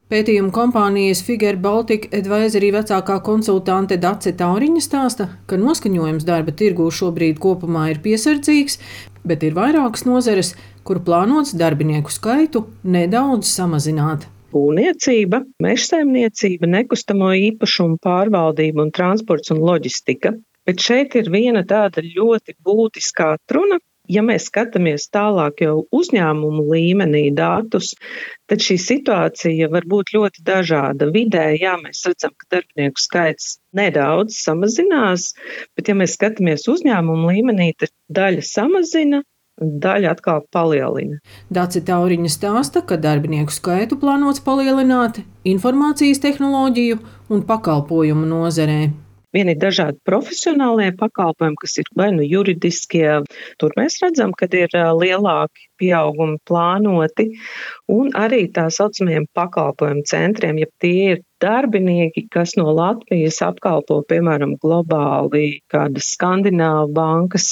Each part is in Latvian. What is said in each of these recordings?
Pētījuma kompānijas Figure Baltic Advisory vecākā konsultante Dace Tauriņa stāsta, ka noskaņojums darba tirgū šobrīd kopumā ir piesardzīgs, bet ir vairākas nozares, kur plānots darbinieku skaitu nedaudz samazināt. Būvniecība, mežsaimniecība, nekustamo īpašumu pārvaldība un transports un loģistika. Bet šeit ir viena tāda ļoti būtiska atruna. Ja mēs skatāmies tālāk jau uzņēmumu līmenī datus, tad šī situācija var būt ļoti dažāda. Vidēji, jā, mēs redzam, ka darbinieku skaits nedaudz samazinās, bet ja mēs skatāmies uzņēmumu līmenī, tad daļa samazina, daļa atkal palielina. Dace Tauriņa stāsta, ka darbinieku skaitu plānots palielināt informācijas tehnoloģiju un pakalpojumu nozarē. Vieni ir dažādi profesionālie pakalpojumi, kas ir vai nu juridiskie. Tur mēs redzam, ka ir lielāki pieaugumi plānoti, un arī tā saucamajiem pakalpojumu centriem, ja tie ir darbinieki, kas no Latvijas apkalpo, piemēram, globāli kādas skandināvu bankas.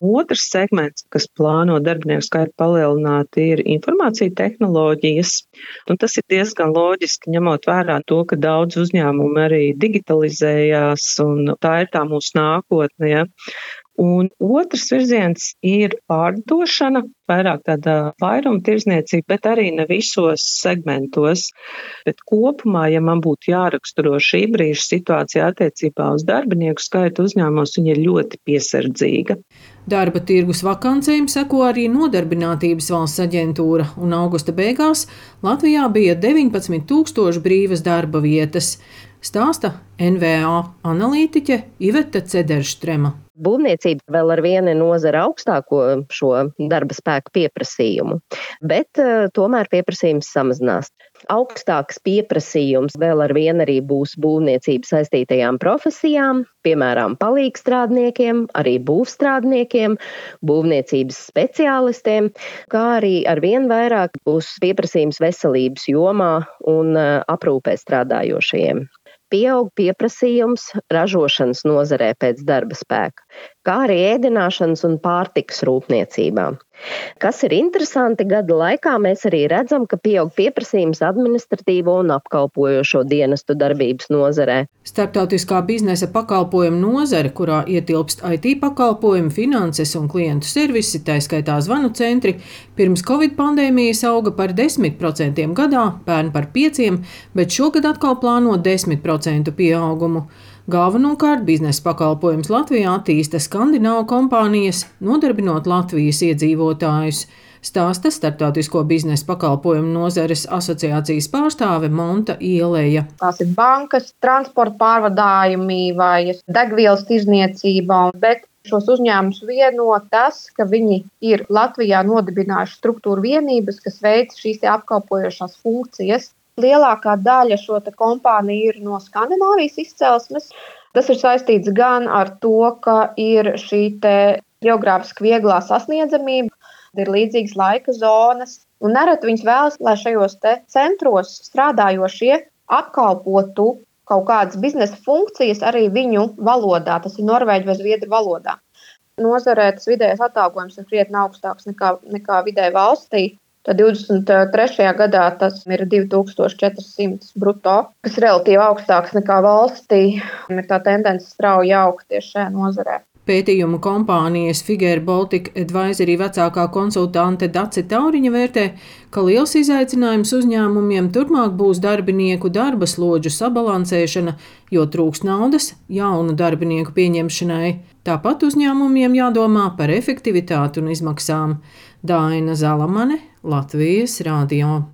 Otrs segments, kas plāno darbinieku skaitu palielināt, ir informācija tehnoloģijas, un tas ir diezgan loģiski, ņemot vērā to, ka daudz uzņēmumu arī digitalizējās, un tā ir tā mūsu nākotne. Ja? Un otrs virziens ir pārdošana, vairāk tāda vairumtirdzniecība, bet arī ne visos segmentos. Bet kopumā, ja man būtu jāraksturo šī brīža situācija attiecībā uz darbinieku skaitu uzņēmumos, viņa ir ļoti piesardzīga. Darba tirgus vakancēm seko arī Nodarbinātības valsts aģentūra, un augusta beigās Latvijā bija 19,000 brīvas darba vietas, stāsta NVA analītiķe Iveta Cederštrema. Būvniecība vēl ar vienu nozara augstāko šo darba spēku pieprasījumu, bet tomēr pieprasījums samazinās. Augstāks pieprasījums vēl ar vienu arī būs būvniecības saistītajām profesijām, piemēram, palīgstrādniekiem, arī būvstrādniekiem, būvniecības speciālistiem, kā arī ar vien vairāk būs pieprasījums veselības jomā un aprūpē strādājošajiem. Pieaug pieprasījums ražošanas nozarē pēc darba spēka, kā arī ēdināšanas un pārtikas rūpniecībā. Kas ir interesanti, gada laikā mēs arī redzam, ka pieaug pieprasījums administratīvo un apkalpojošo dienestu darbības nozarē. Starptautiskā biznesa pakalpojuma nozare, kurā ietilpst IT pakalpojumi, finanses un klientu servisi, tā skaitā zvanu centri, pirms Covid pandēmijas auga par 10% gadā, pērn par 5%, bet šogad atkal plāno 10% pieaugumu. Galvenokārt biznesa pakalpojums Latvijā attīsta skandināvu kompānijas, nodarbinot Latvijas iedzīvotājus, stāsta Starptautisko biznesa pakalpojumu nozares asociācijas pārstāve Monta Ieleja. Tās ir bankas, transporta pārvadājumi vai degvielas tirdzniecība, bet šos uzņēmumus vieno tas, ka viņi ir Latvijā nodibinājuši struktūru vienības, kas veic šīs apkalpojošās funkcijas. Lielākā daļa šo kompāniju ir no Skandināvijas izcelsmes. Tas ir saistīts gan ar to, ka ir šī geogrāfiski vieglā sasniedzamība, ir līdzīgas laika zonas, un nereti viņas vēlas, lai šajos centros strādājošie apkalpotu kaut kādas biznesa funkcijas arī viņu valodā, tas ir norvēģu vai zviedru valodā. Nozarē tas vidējais atalgojums ir krietni augstāks nekā vidēji valstī. Tad 23. gadā tas ir 2400 bruto, kas ir relatīvi augstāks nekā valstī. Ir tā tendence strauji augt tieši šajā nozarē. Pētījuma kompānijas Figure Baltic Advisory vecākā konsultante Dace Tauriņa vērtē, ka liels izaicinājums uzņēmumiem turpmāk būs darbinieku darba slodžu sabalansēšana, jo trūks naudas jaunu darbinieku pieņemšanai. Tāpat uzņēmumiem jādomā par efektivitāti un izmaksām. Daina Zalamane, Latvijas radio.